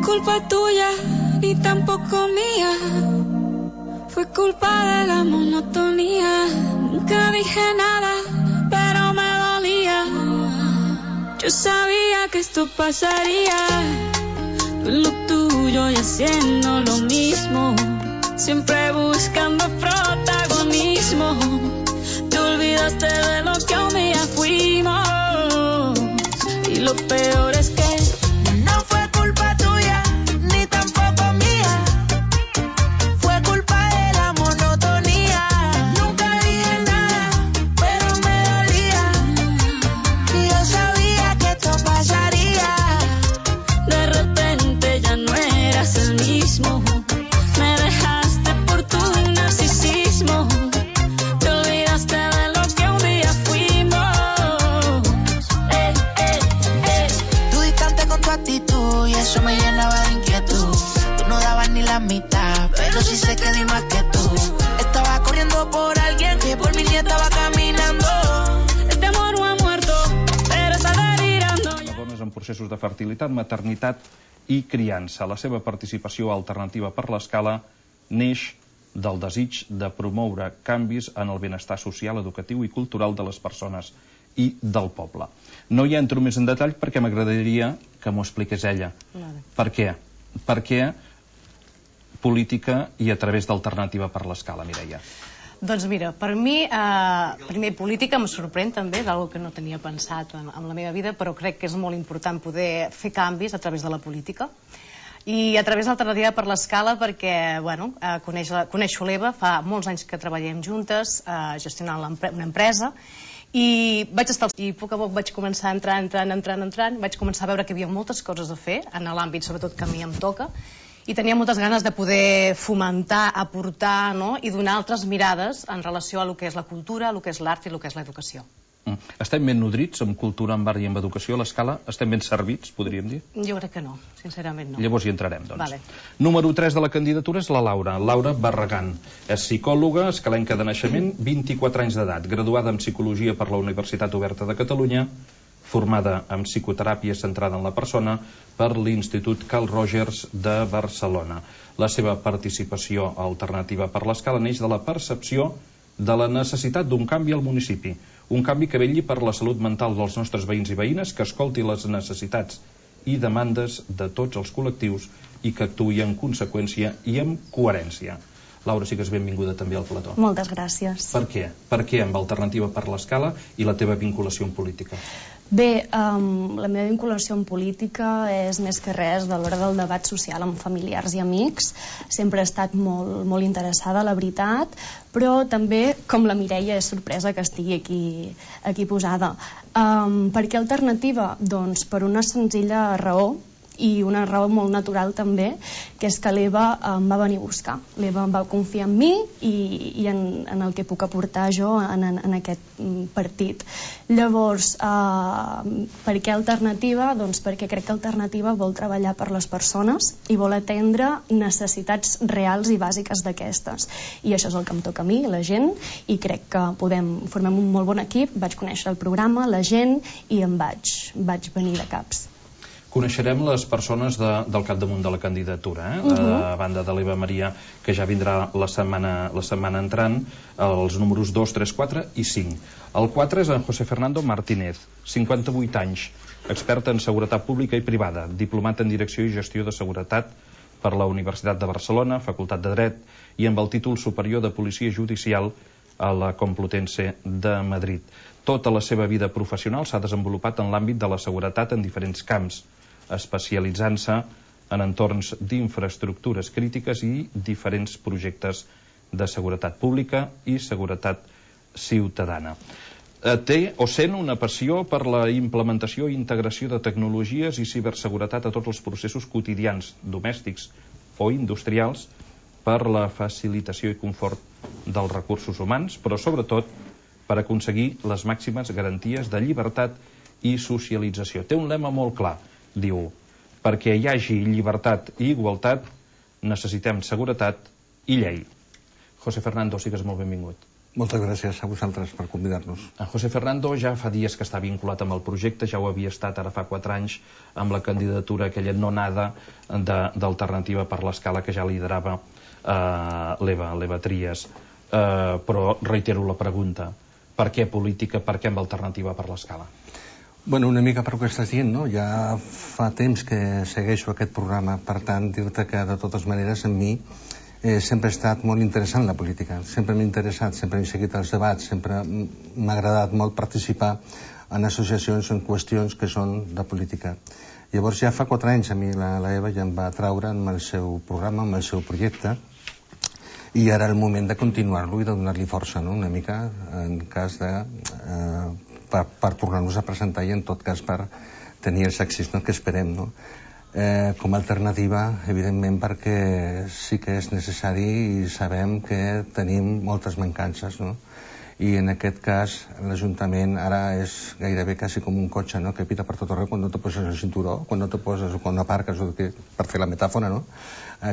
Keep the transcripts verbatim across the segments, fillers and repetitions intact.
culpa tuya, ni tampoco mía. Fue culpa de la monotonía. Nunca dije nada, pero me dolía. Yo sabía que esto pasaría. Tú en lo tuyo y haciendo lo mismo, siempre buscando protagonismo. Te olvidaste de lo que un día fuimos. Y lo peor es que no fue culpa tuya, ni tampoco mía. Fue culpa de la monotonía. Nunca dije nada, pero me dolía. Y yo sabía que esto pasaría. De repente ya no eras el mismo. Me dejaste por tu narcisismo. Te olvidaste de lo que un día fuimos. Eh, eh, eh. Tú distante con tu actitud y eso me llenaba de inquietud. Tú no dabas ni la mitad, pero sí sé que di más que tú. Estaba corriendo por alguien que por mí ni estaba caminando. Este amor no ha muerto, pero está delirando. Les dones en processos de fertilitat, maternitat i criança. La seva participació alternativa per l'escala neix del desig de promoure canvis en el benestar social, educatiu i cultural de les persones i del poble. No hi entro més en detall perquè m'agradaria que m'ho expliqués ella. Vale. Per què? Per què política i a través d'Alternativa per l'Escala, Mireia? Doncs mira, per mi, eh, primer, política em sorprèn també, d'algo que no tenia pensat en, en la meva vida, però crec que és molt important poder fer canvis a través de la política. I a través d'Alternativa per l'Escala perquè, bueno, eh, coneix la, coneixo l'Eva, fa molts anys que treballem juntes, eh, gestionant una empresa, i vaig estar i a poc a poc vaig començar entrant, entrant, entrant, entrant, vaig començar a veure que hi havia moltes coses a fer en l'àmbit, sobretot que a mi em toca, i tenia moltes ganes de poder fomentar, aportar, no?, i donar altres mirades en relació a lo que és la cultura, a lo que és l'art i a lo que és l'educació. Mm. Estem ben nodrits amb cultura, amb art i amb educació a l'Escala? Estem ben servits, podríem dir? Jo crec que no, sincerament no. Llavors hi entrarem, doncs. Vale. Número tres de la candidatura és la Laura, Laura Barragán. És psicòloga, escalenca de naixement, vint-i-quatre anys d'edat, graduada en Psicologia per la Universitat Oberta de Catalunya, formada en psicoteràpia centrada en la persona per l'Institut Carl Rogers de Barcelona. La seva participació alternativa per l'Escala neix de la percepció de la necessitat d'un canvi al municipi, un canvi que vetlli per la salut mental dels nostres veïns i veïnes, que escolti les necessitats i demandes de tots els col·lectius i que actuï en conseqüència i amb coherència. Laura, sí que és benvinguda també al plató. Moltes gràcies. Per què? Per què amb Alternativa per l'Escala i la teva vinculació en política? Bé, um, la meva vinculació en política és més que res de l'hora del debat social amb familiars i amics. Sempre he estat molt, molt interessada, la veritat, però també, com la Mireia, és sorpresa que estigui aquí, aquí posada. Um, per què alternativa? Doncs per una senzilla raó, i una raó molt natural també, que és que l'Eva em va venir a buscar. L'Eva em va confiar en mi i, i en, en el que puc aportar jo en, en, en aquest partit. Llavors, eh, per què alternativa? Doncs perquè crec que Alternativa vol treballar per les persones i vol atendre necessitats reals i bàsiques d'aquestes. I això és el que em toca a mi, la gent, i crec que podem, formem un molt bon equip. Vaig conèixer el programa, la gent, i em vaig, vaig venir de caps. Coneixerem les persones de, del capdamunt de la candidatura, eh? Uh -huh. A banda de l'Eva Maria, que ja vindrà la setmana, la setmana entrant, els números dos, tres, quatre i cinc. El quatre és en José Fernando Martínez, cinquanta-vuit anys, expert en seguretat pública i privada, diplomat en Direcció i Gestió de Seguretat per la Universitat de Barcelona, Facultat de Dret, i amb el títol superior de Policia Judicial a la Complutense de Madrid. Tota la seva vida professional s'ha desenvolupat en l'àmbit de la seguretat en diferents camps, especialitzant-se en entorns d'infraestructures crítiques i diferents projectes de seguretat pública i seguretat ciutadana. Té o sent una passió per la implementació i integració de tecnologies i ciberseguretat a tots els processos quotidians, domèstics o industrials, per la facilitació i confort dels recursos humans, però sobretot per aconseguir les màximes garanties de llibertat i socialització. Té un lema molt clar. Diu, perquè hi hagi llibertat i igualtat necessitem seguretat i llei. José Fernando, sigues molt benvingut. Moltes gràcies a vosaltres per convidar-nos. En José Fernando ja fa dies que està vinculat amb el projecte, ja ho havia estat ara fa quatre anys amb la candidatura aquella no nada d'Alternativa per l'Escala que ja liderava eh, l'Eva, l'Eva Trias. Eh, però reitero la pregunta, per què política, per què amb Alternativa per l'Escala? Bueno, una mica per el que estàs dient, no? Ja fa temps que segueixo aquest programa, per tant, dir-te que de totes maneres en mi Eh, sempre ha estat molt interessant la política, sempre m'ha interessat, sempre he seguit els debats, sempre m'ha agradat molt participar en associacions o en qüestions que són de política. Llavors ja fa quatre anys a mi la, la Eva ja em va traure amb el seu programa, amb el seu projecte, i ara el moment de continuar-lo i de donar-li força, no? Una mica en cas de eh, per, per tornar-nos a presentar i en tot cas per tenir els èxits, no? Que esperem, no? Eh, com a alternativa, evidentment, perquè sí que és necessari i sabem que tenim moltes mancances, no? I en aquest cas l'Ajuntament ara és gairebé quasi com un cotxe, no? Que pita per tot arreu quan no te poses el cinturó, quan no te poses o quan no aparques, o que, per fer la metàfora, no?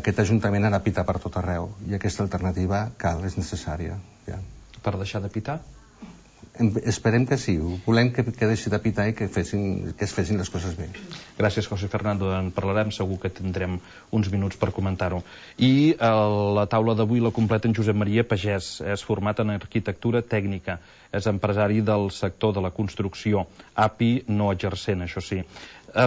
Aquest Ajuntament ara pita per tot arreu i aquesta alternativa cal, és necessària. Ja. Per deixar de pitar? Esperem que sí, volem que, que deixi de pitar i que, fessin, que es fessin les coses bé. Gràcies, José Fernando, en parlarem, segur que tindrem uns minuts per comentar-ho. I a la taula d'avui la completa en Josep Maria Pagès, és format en arquitectura tècnica, és empresari del sector de la construcció, A P I no exercent, això sí.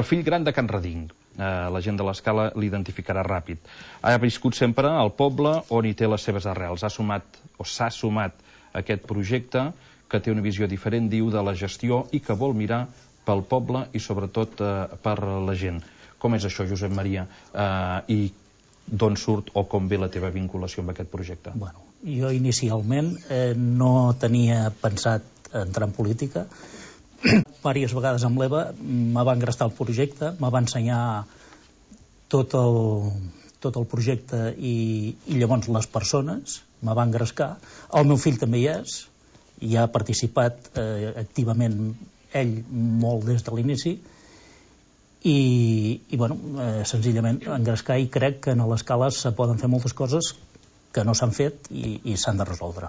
Fill gran de Can Reding, la gent de l'Escala l'identificarà ràpid. Ha viscut sempre al poble on hi té les seves arrels, ha sumat o s'ha sumat a aquest projecte que té una visió diferent, diu, de la gestió i que vol mirar pel poble i sobretot eh, per la gent. Com és això, Josep Maria? Eh, I d'on surt o com ve la teva vinculació amb aquest projecte? Bueno, jo inicialment eh, no tenia pensat entrar en política. Vàries vegades amb l'Eva me va engrestar el projecte, me va ensenyar tot el, tot el projecte i, i llavors les persones me va engrescar. El meu fill també hi és, i ha participat eh, activament ell molt des de l'inici i, i bueno, eh, senzillament engrescar, i crec que a l'Escala se poden fer moltes coses que no s'han fet i, i s'han de resoldre.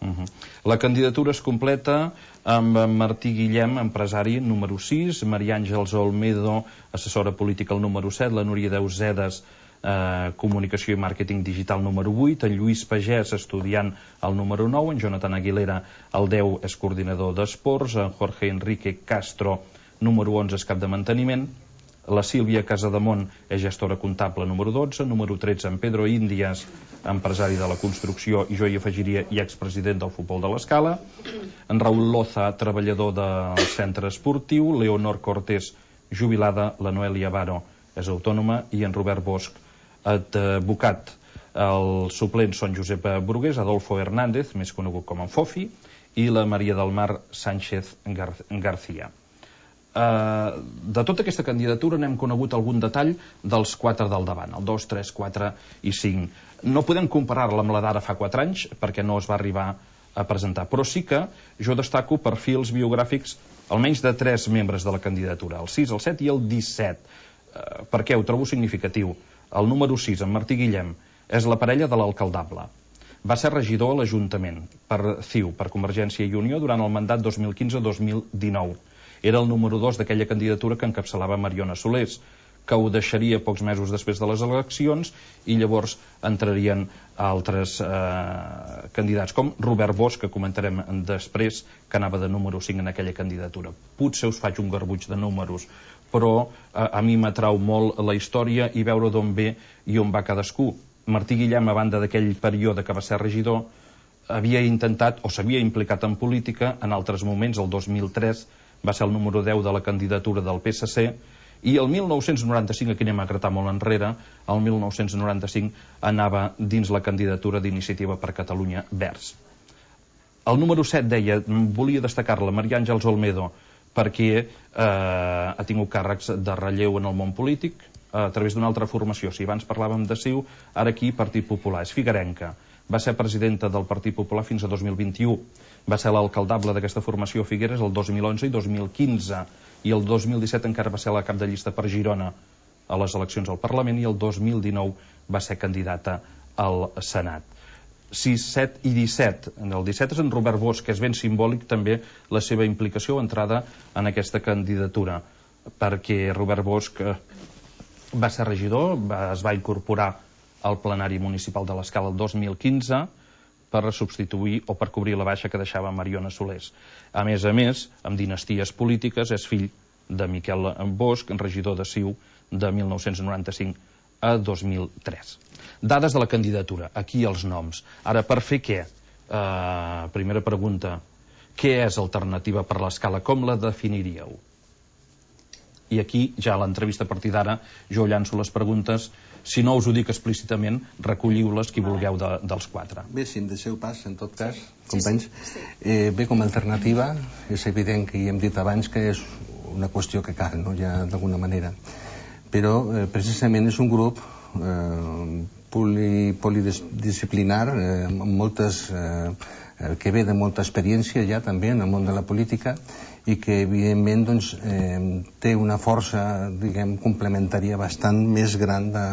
Uh-huh. La candidatura es completa amb Martí Guillem, empresari, número sis, Maria Àngels Olmedo, assessora política, el número set, la Núria Deusedes, Eh, comunicació i màrqueting digital, número vuit, en Lluís Pagès, estudiant, el número nou, en Jonathan Aguilera, el deu, és coordinador d'esports, en Jorge Enrique Castro, número onze, és cap de manteniment, la Sílvia Casademont és gestora comptable, número dotze, número tretze, en Pedro Índias, empresari de la construcció, i jo hi afegiria, i expresident del futbol de l'Escala, en Raül Loza, treballador del centre esportiu, Leonor Cortés, jubilada, la Noelia Baro és autònoma, i en Robert Bosch, advocat. Els suplents són Josep Brugués, Adolfo Hernández, més conegut com en Fofi, i la Maria del Mar Sánchez Gar García. Uh, de tota aquesta candidatura n'hem conegut algun detall dels quatre del davant, el dos, tres, quatre i cinc. No podem comparar-la amb la d'ara fa quatre anys, perquè no es va arribar a presentar, però sí que jo destaco perfils biogràfics almenys de tres membres de la candidatura, el sis, el set i el disset. Uh, per què? Ho trobo significatiu. El número sis, en Martí Guillem, és la parella de l'alcaldable. Va ser regidor a l'Ajuntament per C I U, per Convergència i Unió, durant el mandat dos mil quinze dos mil dinou. Era el número dos d'aquella candidatura que encapçalava Mariona Solés, que ho deixaria pocs mesos després de les eleccions, i llavors entrarien altres eh, candidats, com Robert Bosch, que comentarem després, que anava de número cinc en aquella candidatura. Potser us faig un garbuix de números, però eh, a mi m'atrau molt la història i veure d'on ve i on va cadascú. Martí Guillem, a banda d'aquell període que va ser regidor, havia intentat o s'havia implicat en política en altres moments. El dos mil tres va ser el número deu de la candidatura del P S C, i el mil nou-cents noranta-cinc, aquí anem a gratar molt enrere, el mil nou-cents noranta-cinc anava dins la candidatura d'Iniciativa per Catalunya Verds. El número set deia, volia destacar-la, Maria Àngels Olmedo, perquè eh, ha tingut càrrecs de relleu en el món polític a través d'una altra formació. Si abans parlàvem de C I U, ara aquí Partit Popular. És figuerenca. Va ser presidenta del Partit Popular fins a dos mil vint-i-u. Va ser l'alcaldable d'aquesta formació a Figueres el dos mil onze i dos mil quinze. I el dos mil disset encara va ser la cap de llista per Girona a les eleccions al Parlament, i el dos mil dinou va ser candidata al Senat. sis, set i disset. El disset és en Robert Bosch, que és ben simbòlic també la seva implicació o entrada en aquesta candidatura, perquè Robert Bosch va ser regidor, va, es va incorporar al plenari municipal de l'Escala el dos mil quinze per substituir o per cobrir la baixa que deixava Mariona Solers. A més a més, amb dinasties polítiques, és fill de Miquel Bosch, regidor de Ciu de mil nou-cents noranta-cinc a dos mil tres. Dades de la candidatura, aquí els noms. Ara, per fer què? Uh, primera pregunta, què és Alternativa per l'Escala? Com la definiríeu? I aquí, ja a l'entrevista a partir d'ara, jo llanço les preguntes. Si no us ho dic explícitament, recolliu-les qui vulgueu de, dels quatre. Bé, si em deixeu pas, en tot cas, companys. Eh, bé, com a alternativa, és evident que hi hem dit abans que és una qüestió que cal, no?, ja d'alguna manera. Però, eh, precisament, és un grup eh, poli, polidisciplinar, eh, amb moltes, eh, que ve de molta experiència ja també en el món de la política i que evidentment doncs, eh, té una força, diguem, complementària bastant més gran de,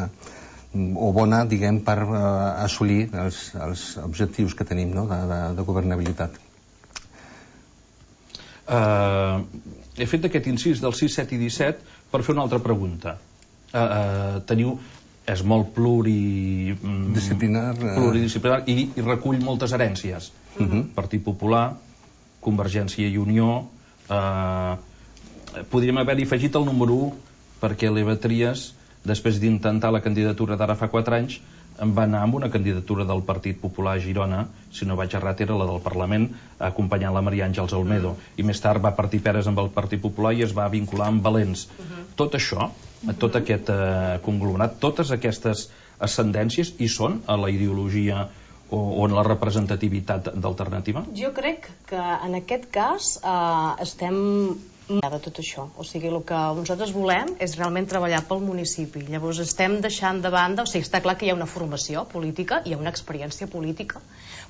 o bona, diguem, per eh, assolir els, els objectius que tenim, no?, de, de, de governabilitat. Uh, he fet aquest incís del sis, set i disset per fer una altra pregunta. Uh, uh, teniu és molt pluri... disciplinar, pluridisciplinar i, i recull moltes herències. Uh-huh. Partit Popular, Convergència i Unió... Eh, podríem haver-hi afegit el número u, perquè l'Eva Trias, després d'intentar la candidatura d'ara fa quatre anys, em va anar amb una candidatura del Partit Popular a Girona, si no vaig errat era la del Parlament, acompanyant la Maria Àngels Olmedo, i més tard va partir peres amb el Partit Popular i es va vincular amb Valents. Uh-huh. Tot això, tot aquest eh, conglomerat, totes aquestes ascendències hi són a la ideologia o, o en la representativitat d'Alternativa? Jo crec que en aquest cas eh, estem de tot això, o sigui, el que nosaltres volem és realment treballar pel municipi. Llavors estem deixant de banda, o sigui, està clar que hi ha una formació política, hi ha una experiència política,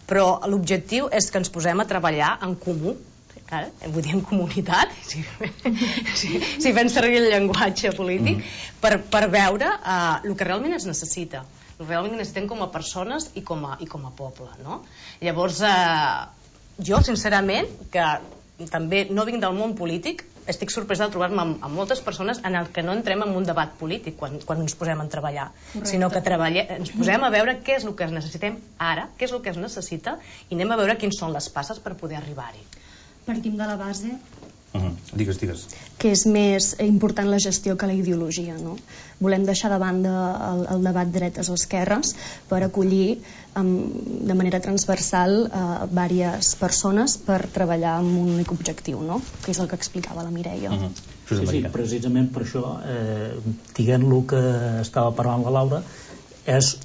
però l'objectiu és que ens posem a treballar en comú. Ara, vull dir en comunitat, si, si, si fem servir el llenguatge polític, mm. per, per veure uh, el que realment es necessita, el que realment necessitem com a persones i com a, i com a poble, no? Llavors, uh, jo, sincerament, que també no vinc del món polític, estic sorpresa de trobar-me amb, amb moltes persones en el que no entrem en un debat polític quan, quan ens posem a treballar. Correcte. Sinó que treballem, ens posem a veure què és el que necessitem ara, què és el que es necessita, i anem a veure quins són les passes per poder arribar-hi. Partim de la base uh-huh. Digues, digues. que és més important la gestió que la ideologia, no? Volem deixar de banda el, el debat dretes o esquerres per acollir um, de manera transversal uh, diverses persones per treballar amb un únic objectiu, no?, que és el que explicava la Mireia. Uh-huh. Sí, sí, precisament per això, eh, diguent lo que estava parlant la Laura, és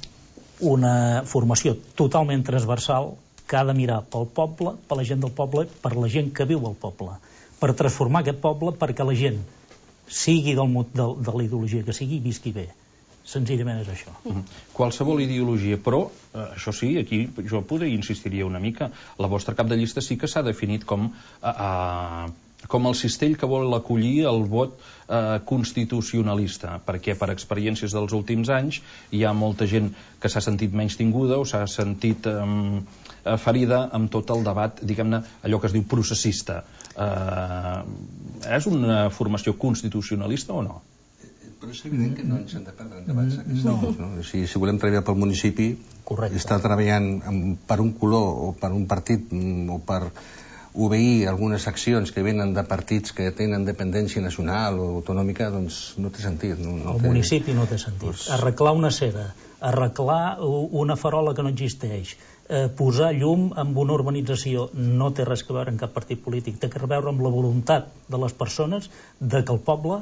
una formació totalment transversal que ha de mirar pel poble, per la gent del poble, per la gent que viu al poble, per transformar aquest poble perquè la gent sigui del, de, de la ideologia que sigui i visqui bé. Senzillament és això. Mm-hmm. Qualsevol ideologia, però, eh, això sí, aquí jo poder insistiria una mica, la vostra cap de llista sí que s'ha definit com, eh, eh, com el cistell que vol acollir el vot eh, constitucionalista, perquè per experiències dels últims anys hi ha molta gent que s'ha sentit menys tinguda o s'ha sentit eh, ferida amb tot el debat, diguem-ne, allò que es diu processista. Eh, és una formació constitucionalista o no? Però és evident que no ens hem de perdre en debats aquests. No. No? O sigui, si volem treballar pel municipi, correcte, estar treballant amb, per un color o per un partit o per obeir algunes accions que venen de partits que tenen dependència nacional o autonòmica, doncs no té sentit. No, no el té... municipi no té sentit. Pues... Arreglar una cera, arreglar una farola que no existeix, eh, posar llum en una urbanització no té res a veure amb cap partit polític, té a veure amb la voluntat de les persones de que el poble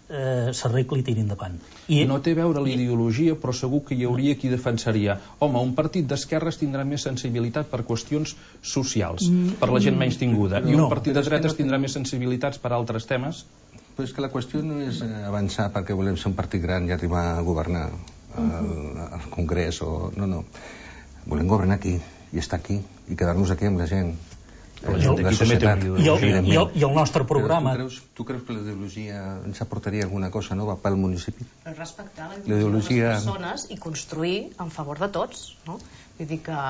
eh, s'arregli i tiri endavant. I no té a veure l'ideologia, però segur que hi hauria qui defensaria, home, un partit d'esquerres tindrà més sensibilitat per qüestions socials, mm. per la gent menys tinguda, i un no, partit de dretes tindrà més sensibilitats per altres temes. Però és que la qüestió no és avançar perquè volem ser un partit gran i arribar a governar al, al Congrés o... No, no. Volem governar aquí i estar aquí i quedar-nos aquí amb la gent La gent d'aquí també té una ideologia. I el, i el nostre programa... Tu creus, tu creus que la ideologia ens aportaria alguna cosa nova pel municipi? Respectar la ideologia de les persones i construir en favor de tots, no? Vull dir que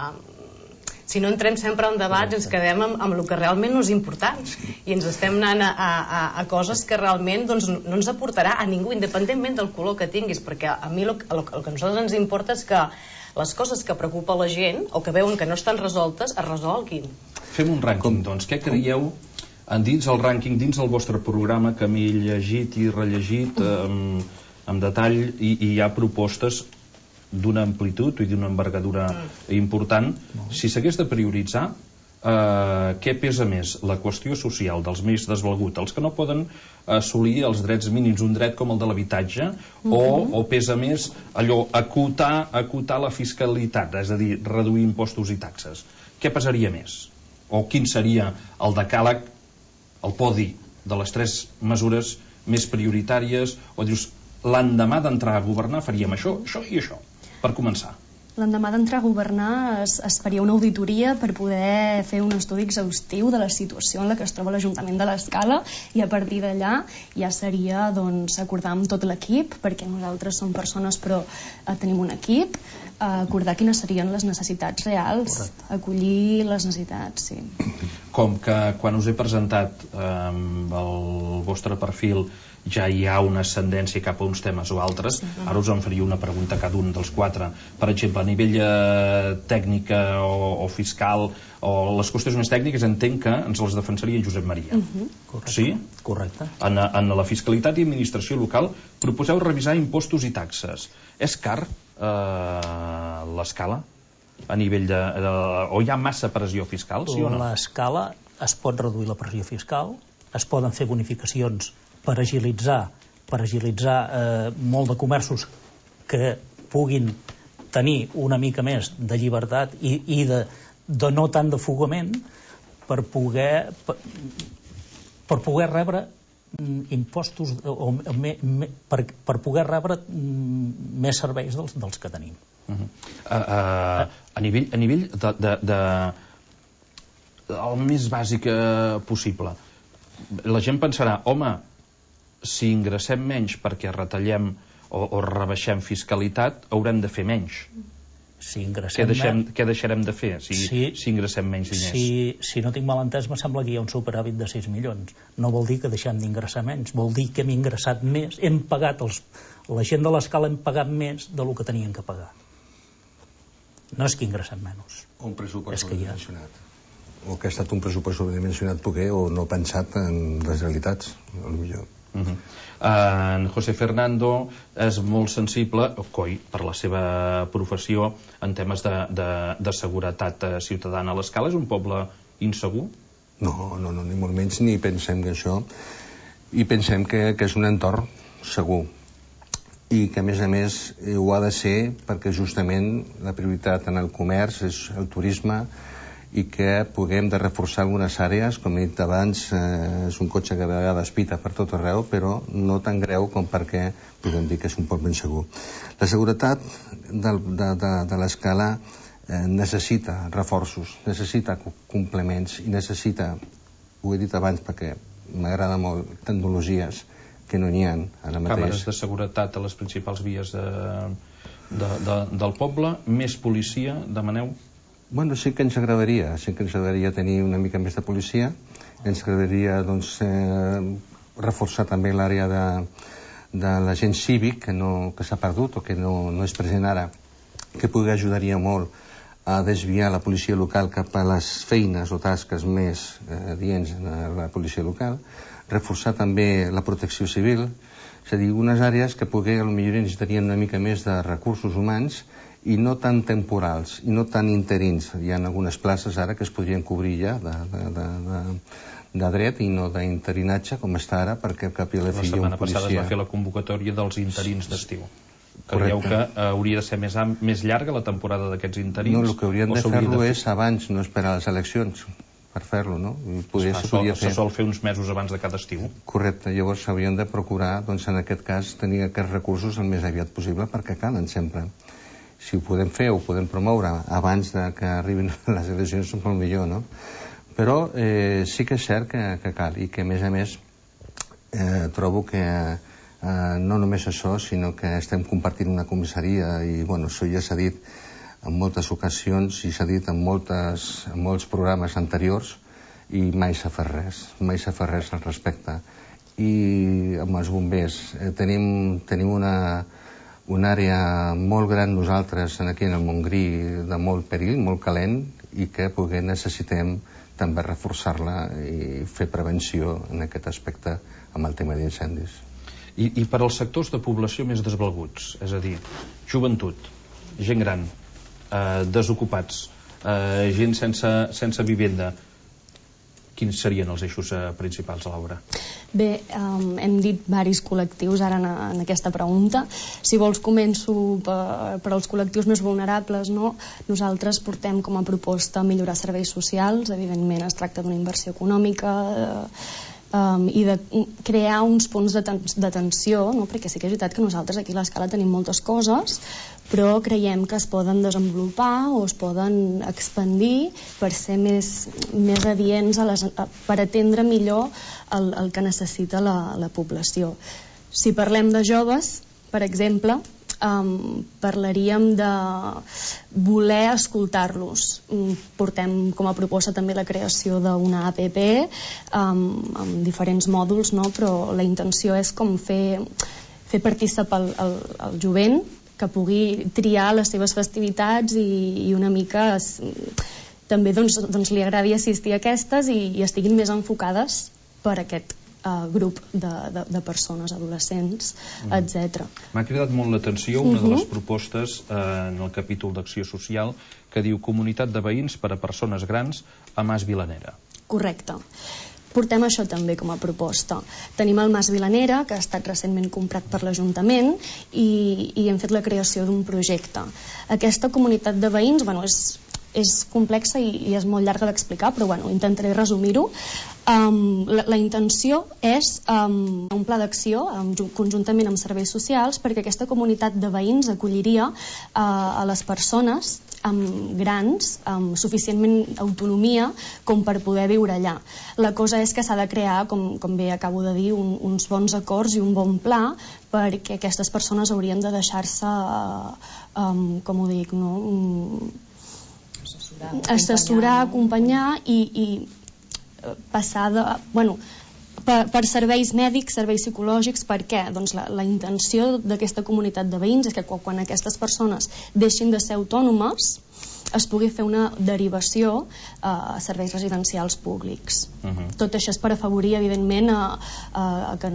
si no entrem sempre en debats ens quedem amb, amb el que realment no és important i ens estem anant a, a, a coses que realment doncs, no ens aportarà a ningú, independentment del color que tinguis, perquè a mi el, el, el que a nosaltres ens importa és que les coses que preocupa la gent o que veuen que no estan resoltes es resolguin. Fem un rànquing, doncs. Què creieu dins el rànquing, dins el vostre programa que m'he llegit i rellegit amb, amb detall i, i hi ha propostes d'una amplitud i d'una envergadura important. Si s'hagués de prioritzar, eh, què pesa més? La qüestió social dels més desvalguts, els que no poden assolir els drets mínims, un dret com el de l'habitatge, uh-huh. o, o pesa més allò, acotar, acotar la fiscalitat, és a dir, reduir impostos i taxes? Què pesaria més? O quin seria el decàleg, el podi de les tres mesures més prioritàries? O dius, l'endemà d'entrar a governar faríem això, això i això, per començar. L'endemà d'entrar a governar es, es faria una auditoria per poder fer un estudi exhaustiu de la situació en la que es troba l'Ajuntament de l'Escala i a partir d'allà ja seria doncs, acordar amb tot l'equip, perquè nosaltres som persones però eh, tenim un equip, eh, acordar quines serien les necessitats reals. Correcte. Acollir les necessitats, sí. Com que quan us he presentat eh, el vostre perfil ja hi ha una ascendència cap a uns temes o altres, sí. Ara us en faria una pregunta a cada un dels quatre. Per exemple, a nivell eh, tècnica o, o fiscal o les qüestions més tècniques entenc que ens les defensaria Josep Maria. Uh-huh. Correcte. Sí? Correcte. En, en la fiscalitat i administració local proposeu revisar impostos i taxes. És car eh, l'escala? A nivell de, de... O hi ha massa pressió fiscal, sí o no? L'escala es pot reduir la pressió fiscal, es poden fer bonificacions per agilitzar, per agilitzar eh, molt de comerços que puguin tenir una mica més de llibertat i, i de, de no tant de fugament per poder per, per poder rebre mm, impostos o, o me, me, per, per poder rebre mm, més serveis dels, dels que tenim. Uh-huh. uh, uh, a nivell, a nivell de, de, de el més bàsic uh, possible, la gent pensarà, home, si ingressem menys perquè retallem o, o rebaixem fiscalitat, haurem de fer menys. Si ingressem què, deixem, què deixarem de fer si, si, si ingressem menys diners? Si, si no tinc mal entès, me sembla que hi ha un superàvit de sis milions. No vol dir que deixem d'ingressar menys, vol dir que hem ingressat més, hem pagat els, la gent de l'Escala hem pagat més del que tenien que pagar. No és que ingressem menys. Un pressupost sobredimensionat. O que ha estat un pressupost sobredimensionat poder o no pensat en les realitats, potser. Uh -huh. uh, en José Fernando és molt sensible, coi, per la seva professió en temes de, de, de seguretat ciutadana. L'Escala és un poble insegur? No, no, no, ni molt menys ni pensem que això, i pensem que, que és un entorn segur i que a més a més ho ha de ser perquè justament la prioritat en el comerç és el turisme i que puguem de reforçar algunes àrees, com he dit abans, eh, és un cotxe que a vegades pita per tot arreu, però no tan greu com perquè podem dir que és un poble insegur. La seguretat de, de, de, de l'Escala eh, necessita reforços, necessita complements i necessita, ho he dit abans perquè m'agrada molt, tecnologies que no n'hi ha ara mateix. Càmeres de seguretat a les principals vies de, de, de, del poble, més policia, demaneu? Bueno, sí que ens agradaria, sí que ens agradaria tenir una mica més de policia, ens agradaria doncs, eh, reforçar també l'àrea de, de l'agent cívic que, no, que s'ha perdut o que no, no és present ara, que pugui ajudaria molt a desviar la policia local cap a les feines o tasques més eh, adients a la policia local, reforçar també la protecció civil, és a dir, unes àrees que potser potser necessitarien una mica més de recursos humans i no tan temporals, i no tan interins. Hi ha algunes places ara que es podrien cobrir ja de, de, de, de, de dret i no d'interinatge, com està ara, perquè cap i a la fi hi ha un policia. La setmana passada es va fer la convocatòria dels interins d'estiu. Creieu que hauria de ser més, més llarga la temporada d'aquests interins? No, el que haurien de fer-lo és abans, no esperar les eleccions per fer-lo, no? Poder, se, sol, se sol fer uns mesos abans de cada estiu. Correcte, llavors s'haurien de procurar, doncs en aquest cas, tenir aquests recursos el més aviat possible perquè calen sempre. Si ho podem fer o ho podem promoure abans de que arribin les eleccions és molt millor, no? Però eh, sí que és cert que, que cal, i que a més a més eh, trobo que eh, no només això, sinó que estem compartint una comissaria i, bueno, això ja s'ha dit en moltes ocasions i s'ha dit en, moltes, en molts programes anteriors i mai s'ha fet res, mai s'ha fet res al respecte. I amb els bombers eh, tenim, tenim una, una àrea molt gran nosaltres aquí en el Montgrí de molt perill, molt calent, i que poder necessitem també reforçar-la i fer prevenció en aquest aspecte amb el tema d'incendis. I, I per als sectors de població més desvalguts, és a dir, joventut, gent gran, eh, desocupats, eh, gent sense, sense vivenda, quins serien els eixos eh, principals a l'obra? Bé, um, hem dit varis col·lectius ara en, en aquesta pregunta. Si vols començo per, per als col·lectius més vulnerables, no? Nosaltres portem com a proposta millorar serveis socials, evidentment es tracta d'una inversió econòmica, eh, Um, i de crear uns punts d'atenció, no? Perquè sí que és veritat que nosaltres aquí a l'Escala tenim moltes coses, però creiem que es poden desenvolupar o es poden expandir per ser més, més adients a les, a, per atendre millor el, el que necessita la, la població. Si parlem de joves, per exemple, Um, parlaríem de voler escoltar-los. Um, portem com a proposta també la creació d'una app um, amb diferents mòduls, no? Però la intenció és com fer, fer participar el, el, el jovent, que pugui triar les seves festivitats i, i una mica es, també doncs, doncs li agradi assistir a aquestes i, i estiguin més enfocades per aquest Uh, grup de, de, de persones, adolescents, mm. etcètera. M'ha cridat molt l'atenció una uh -huh. de les propostes eh, en el capítol d'acció social que diu Comunitat de veïns per a persones grans a Mas Vilanera. Correcte. Portem això també com a proposta. Tenim el Mas Vilanera, que ha estat recentment comprat per l'Ajuntament, i, i hem fet la creació d'un projecte. Aquesta comunitat de veïns, bueno, és és complexa i, i és molt llarga d'explicar, però bueno, intentaré resumir-ho. Um, la, la intenció és um, un pla d'acció um, conjuntament amb serveis socials perquè aquesta comunitat de veïns acolliria uh, a les persones amb grans, amb suficientment autonomia com per poder viure allà. La cosa és que s'ha de crear, com, com bé acabo de dir, un, uns bons acords i un bon pla perquè aquestes persones haurien de deixar-se, uh, um, com ho dic, no? Um, assessorar, acompanyar i, i passar de, bueno, per, per serveis mèdics, serveis psicològics. Per què? Doncs la, la intenció d'aquesta comunitat de veïns és que quan aquestes persones deixin de ser autònomes es pugui fer una derivació a serveis residencials públics. Uh-huh. Tot això és per afavorir, evidentment, a, a, a que,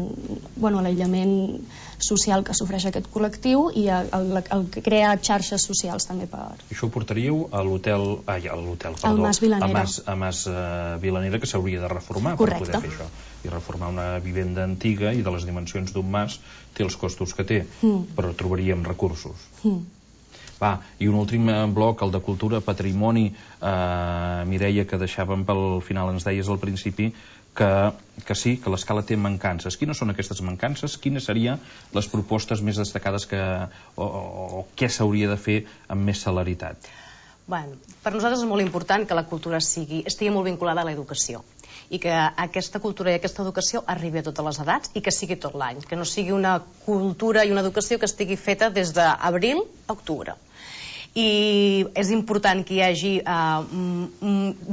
bueno, l'aïllament social que sofreix aquest col·lectiu i a, a, a crear xarxes socials també per... I això ho portaríeu a l'hotel... Ai, a l'hotel, perdó. Al Mas Vilanera. A Mas, a Mas uh, Vilanera, que s'hauria de reformar. Correcte. Per poder fer això. I reformar una vivenda antiga i de les dimensions d'un mas té els costos que té, mm. però trobaríem recursos. Mm. Va, i un últim bloc, el de cultura, patrimoni. eh, Mireia, que deixàvem pel final, ens deies al principi que, que sí, que l'Escala té mancances. Quines són aquestes mancances? Quines serien les propostes més destacades que, o, o, o què s'hauria de fer amb més celeritat? Bueno, per nosaltres és molt important que la cultura sigui, estigui molt vinculada a l'educació i que aquesta cultura i aquesta educació arribi a totes les edats i que sigui tot l'any, que no sigui una cultura i una educació que estigui feta des d'abril a octubre. I és important que hi hagi uh,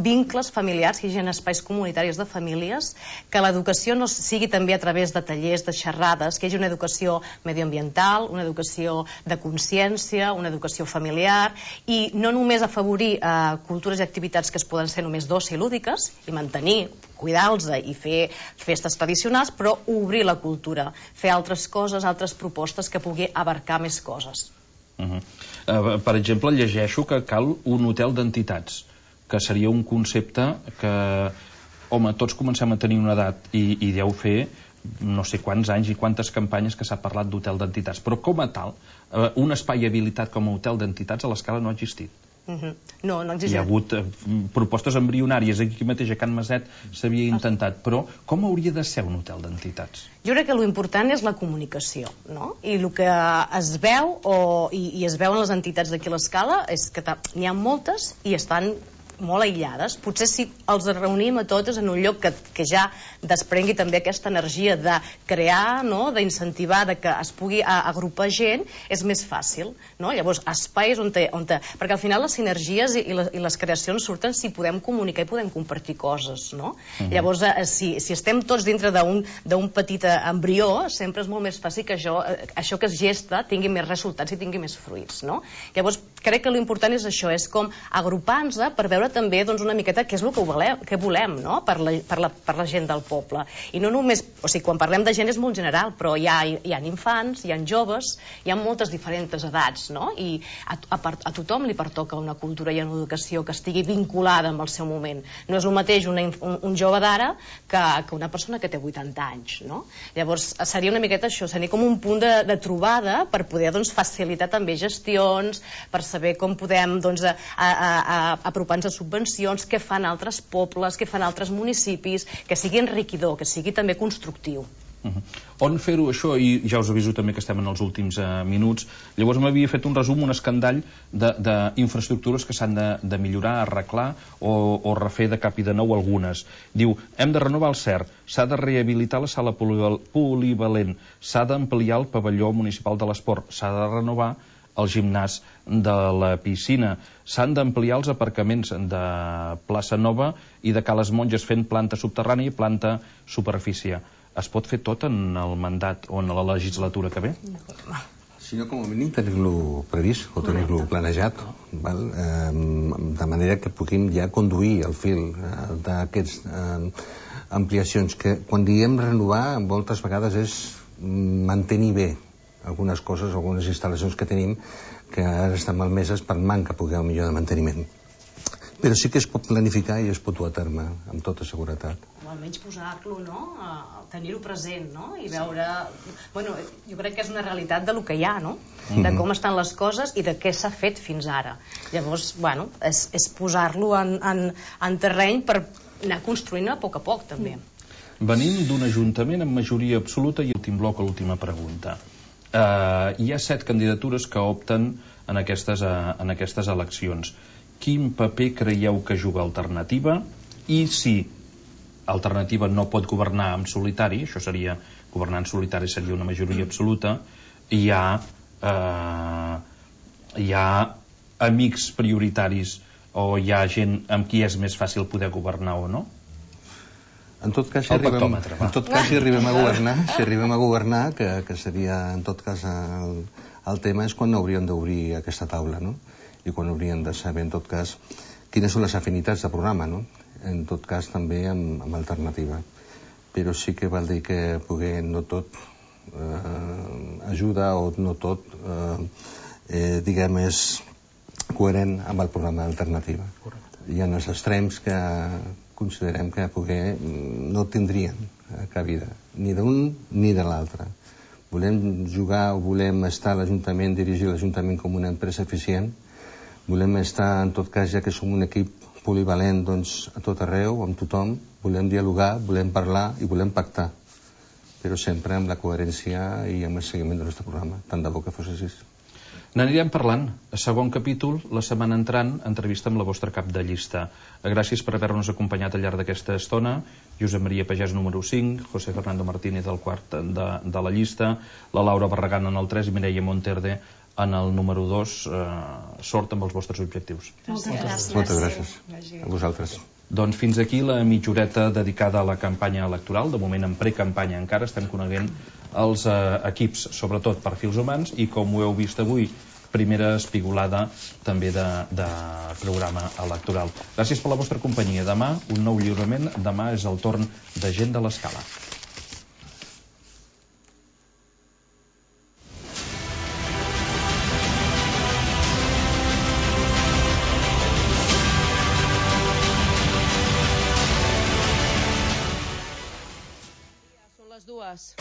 vincles familiars, que hi hagi espais comunitaris de famílies, que l'educació no sigui també a través de tallers, de xerrades, que hi hagi una educació medioambiental, una educació de consciència, una educació familiar, i no només afavorir uh, cultures i activitats que es poden ser només d'oci i lúdiques, i mantenir, cuidar-los i fer festes tradicionals, però obrir la cultura, fer altres coses, altres propostes que pugui abarcar més coses. Uh-huh. uh, per exemple, llegeixo que cal un hotel d'entitats, que seria un concepte que, home, tots comencem a tenir una edat i, i deu fer no sé quants anys i quantes campanyes que s'ha parlat d'hotel d'entitats, però com a tal, uh, un espai habilitat com a hotel d'entitats a l'Escala no ha existit. Uh-huh. No, no existeix. Hi ha hagut uh, propostes embrionàries, aquí mateix a Can Maset s'havia intentat, però com hauria de ser un hotel d'entitats? Jo crec que l'important és la comunicació, no? I el que es veu, o, i, i es veu en les entitats d'aquí a l'Escala, és que n'hi ha moltes i estan molt aïllades. Potser si els reunim a totes en un lloc que, que ja desprengui també aquesta energia de crear, no? D'incentivar, de que es pugui agrupar gent, és més fàcil, no? Llavors, espais on te, on te... perquè al final les sinergies i les, i les creacions surten si podem comunicar i podem compartir coses, no? Uh-huh. Llavors, eh, si, si estem tots dintre d'un petit embrió, sempre és molt més fàcil que això, això que es gesta tingui més resultats i tingui més fruits, no? Llavors, crec que l'important és això, és com agrupar-nos per veure també doncs, una miqueta què és el que volem, que volem, no? per, la, per, la, per la gent del poble. I no només, o sigui, quan parlem de gent és molt general, però hi ha, hi ha infants, hi ha joves, hi ha moltes diferents edats, no? I a, a, a tothom li pertoca una cultura i una educació que estigui vinculada amb el seu moment. No és el mateix una, un, un jove d'ara que, que una persona que té vuitanta anys, no? Llavors, seria una miqueta això, seria com un punt de, de trobada per poder doncs, facilitar també gestions, per saber com podem doncs, a, a, a, apropar-nos a subvencions, què fan altres pobles, què fan altres municipis, que sigui enriquidor, que sigui també constructiu. Uh-huh. On fer-ho això, i ja us aviso també que estem en els últims uh, minuts, llavors m'havia fet un resum, un escandall d'infraestructures que s'han de, de millorar, arreglar o, o refer de cap i de nou algunes. Diu, hem de renovar el C E R, s'ha de rehabilitar la sala polivalent, s'ha d'ampliar el pavelló municipal de l'esport, s'ha de renovar el gimnàs de la piscina, s'han d'ampliar els aparcaments de Plaça Nova i de Cales Monges fent planta subterrània i planta superfície. Es pot fer tot en el mandat o en la legislatura que ve? Si no, com a mínim tenir-lo previst o tenir-lo planejat, val? Eh, de manera que puguem ja conduir el fil eh, d'aquestes eh, ampliacions, que quan diem renovar moltes vegades és mantenir bé algunes coses, algunes instal·lacions que tenim que ara estan malmeses per manca poder millor de manteniment. Però sí que es pot planificar i es pot dur a terme amb tota seguretat. O almenys posar-lo, no? Tenir-ho present, no? I veure... Bueno, jo crec que és una realitat de lo que hi ha, no? De com estan les coses i de què s'ha fet fins ara. Llavors, bueno, és, és posar-lo en, en, en terreny per anar construint a poc a poc, també. Venim d'un ajuntament amb majoria absoluta i l'últim bloc, l'última pregunta. Uh, hi ha set candidatures que opten en aquestes, uh, en aquestes eleccions. Quin paper creieu que juga Alternativa? I si Alternativa no pot governar en solitari, això seria, governar en solitari seria una majoria absoluta, hi ha, uh, hi ha amics prioritaris o hi ha gent amb qui és més fàcil poder governar o no? En tot cas, si arribem, en tot cas, si arribem a governar, si arribem a governar, que, que seria, en tot cas, el, el tema és quan hauríem d'obrir aquesta taula, no? I quan hauríem de saber, en tot cas, quines són les afinitats de programa, no? En tot cas, també amb, amb alternativa. Però sí que val dir que poder no tot eh, ajuda o no tot, eh, eh, diguem, és coherent amb el programa d'alternativa. Hi ha els extrems que considerem que poder no tindrien cabida, ni d'un ni de l'altre. Volem jugar o volem estar a l'Ajuntament, dirigir l'Ajuntament com una empresa eficient, volem estar, en tot cas, ja que som un equip polivalent, doncs, a tot arreu, amb tothom, volem dialogar, volem parlar i volem pactar, però sempre amb la coherència i amb el seguiment del nostre programa. Tant de bo que fos així. N'anirem parlant. A segon capítol, la setmana entrant, entrevista amb la vostra cap de llista. Gràcies per haver-nos acompanyat al llarg d'aquesta estona. Josep Maria Pagès, número cinc, José Fernando Martínez, del quart de, de la llista, la Laura Barragán en el tres i Mireia Monterde en el número dos. Eh, sort amb els vostres objectius. Moltes gràcies. Moltes gràcies. A vosaltres. Doncs fins aquí la mitjoreta dedicada a la campanya electoral. De moment en precampanya encara estem coneguent els eh, equips, sobretot perfils humans, i com ho heu vist avui, primera espigolada també de, de programa electoral. Gràcies per la vostra companyia. Demà un nou lliurament. Demà és el torn de Gent de l'Escala. Són les dues.